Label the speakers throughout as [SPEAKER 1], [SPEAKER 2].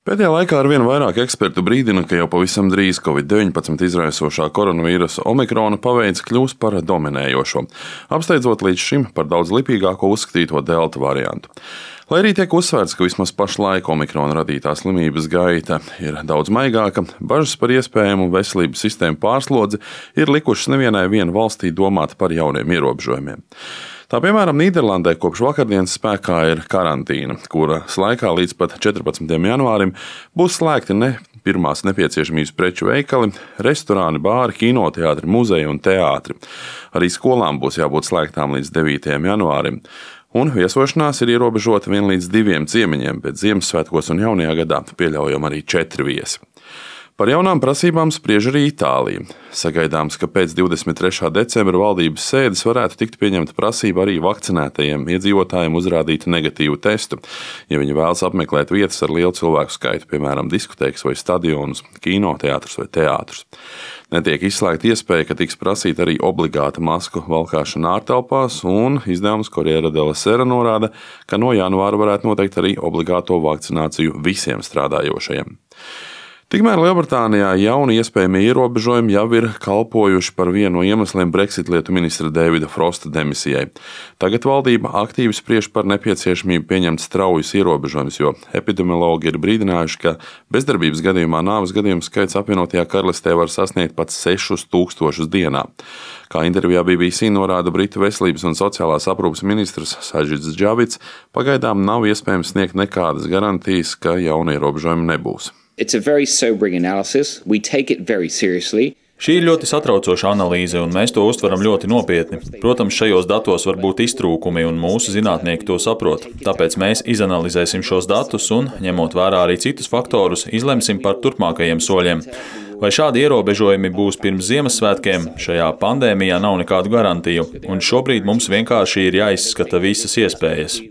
[SPEAKER 1] Pēdējā laikā arvien vairāk ekspertu brīdina, ka jau pavisam drīz Covid-19 izraisošā koronavīrusa omikrona paveids kļūs par dominējošo, apsteidzot līdz šim par daudz lipīgāko uzskatīto delta variantu. Lai arī tiek uzsvērts, ka vismaz pašlaik omikrona radītā slimības gaita ir daudz maigāka, bažas par iespējamu veselības sistēmu pārslodzi ir likušas nevienai valstī domāt par jauniem ierobežojumiem. Tā piemēram, Nīderlandē kopš vakardienas spēkā ir karantīna, kuras laikā līdz pat 14. janvārim būs slēgti ne pirmās nepieciešamības preču veikali, restorāni, bāri, kinoteātri, muzeji un teātri. Arī skolām būs jābūt slēgtām līdz 9. janvārim. Un viesošanās ir ierobežota vien līdz 2 ciemiņiem, bet Ziemassvētkos un jaunajā gadā pieļaujam arī 4 viesi. Par jaunām prasībām spriež arī Itālija. Sagaidāms, ka pēc 23. decembra valdības sēdes varētu tikt pieņemta prasība arī vakcinētajiem iedzīvotājiem uzrādīt negatīvu testu, ja viņi vēlas apmeklēt vietas ar lielu cilvēku skaitu, piemēram, diskotēkas vai stadionus, kinoteātrus vai teātrus. Netiek izslēgta iespēja, ka tiks prasīta arī obligāta masku valkāšana ārtelpās, un izdevums Corriere della Sera norāda, ka no janvāra varētu noteikt arī obligāto vakcināciju visiem strādājošajiem. Tikmēr Lielbritānijā jauni iespējamie ierobežojumi jau ir kalpojuši par vienu no iemesliem Brexit lietu ministra Davida Frosta demisijai. Tagad valdība aktīvi spriež par nepieciešamību pieņemt straujus ierobežojumus, jo epidemiologi ir brīdinājuši, ka bezdarbības gadījumā nāves gadījumu skaits apvienotajā karalistē var sasniegt pat 6000 dienā. Kā intervijā BBC norāda Britu veselības un sociālās aprūpes ministrs Sajits Džavits, pagaidām nav iespējams sniegt nekādas garantijas, ka jauni ierobežojumi nebūs.
[SPEAKER 2] It's a very sobering analysis. We take it very seriously.
[SPEAKER 3] Šī ir ļoti satraucoša analīze, un mēs to uztveram ļoti nopietni. Protams, šajos datos var būt iztrūkumi, un mūsu zinātnieki to saprot. Tāpēc mēs izanalizēsim šos datus un, ņemot vērā arī citus faktorus, izlemsim par turpmākajiem soļiem. Vai šādi ierobežojumi būs pirms Ziemassvētkiem, šajā pandēmijā nav nekādu garantiju, un šobrīd mums vienkārši ir jāizskata visas iespējas.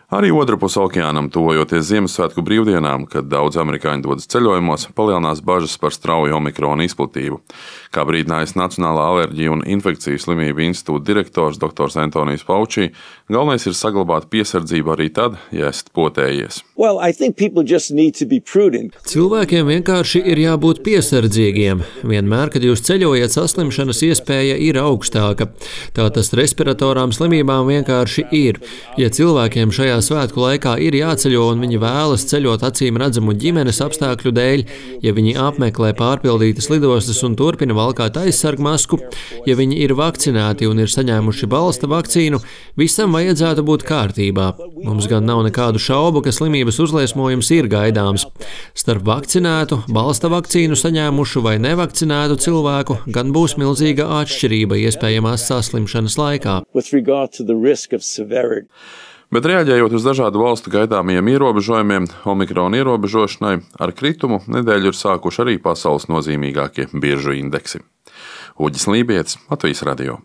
[SPEAKER 1] Arī otrpus okeānam, tuvojoties Ziemassvētku brīvdienām, kad daudz amerikāņu dodas ceļojumos, palielinās bažas par strauju omikrona izplatību. Kā brīdinājis Nacionālā alerģiju un infekciju slimību institūta direktors dr. Antonijs Fauci, galvenais ir saglabāt piesardzību arī tad, ja esat potējies.
[SPEAKER 4] Cilvēkiem vienkārši ir jābūt piesardzīgiem. Vienmēr, kad jūs ceļojat, saslimšanas iespēja ir augstāka. Tā tas respiratorām slimībām vienkārši ir. Ja cilvēkiem šajā svētku laikā ir jāceļo un viņi vēlas ceļot acīm redzamu ģimenes apstākļu dēļ, ja viņi apmeklē pārpildītas lidostas un turpina valkāt aizsargmasku, ja viņi ir vakcinēti un ir saņēmuši balsta vakcīnu, visam vajadzētu būt kārtībā. Mums gan nav nekādu šaubu, ka slimības uzliesmojums ir gaidāms. Starp vakcinētu, balsta vakcīnu saņēmušu vai nevakcinētu cilvēku gan būs milzīga atšķirība iespējamās saslimšanas laikā.
[SPEAKER 1] Bet reaģējot uz dažādu valstu gaidāmajiem ierobežojumiem, omikrona ierobežošanai, ar kritumu nedēļu ir sākuši arī pasaules nozīmīgākie biržu indeksi. Uģis Lībietis, Latvijas radio.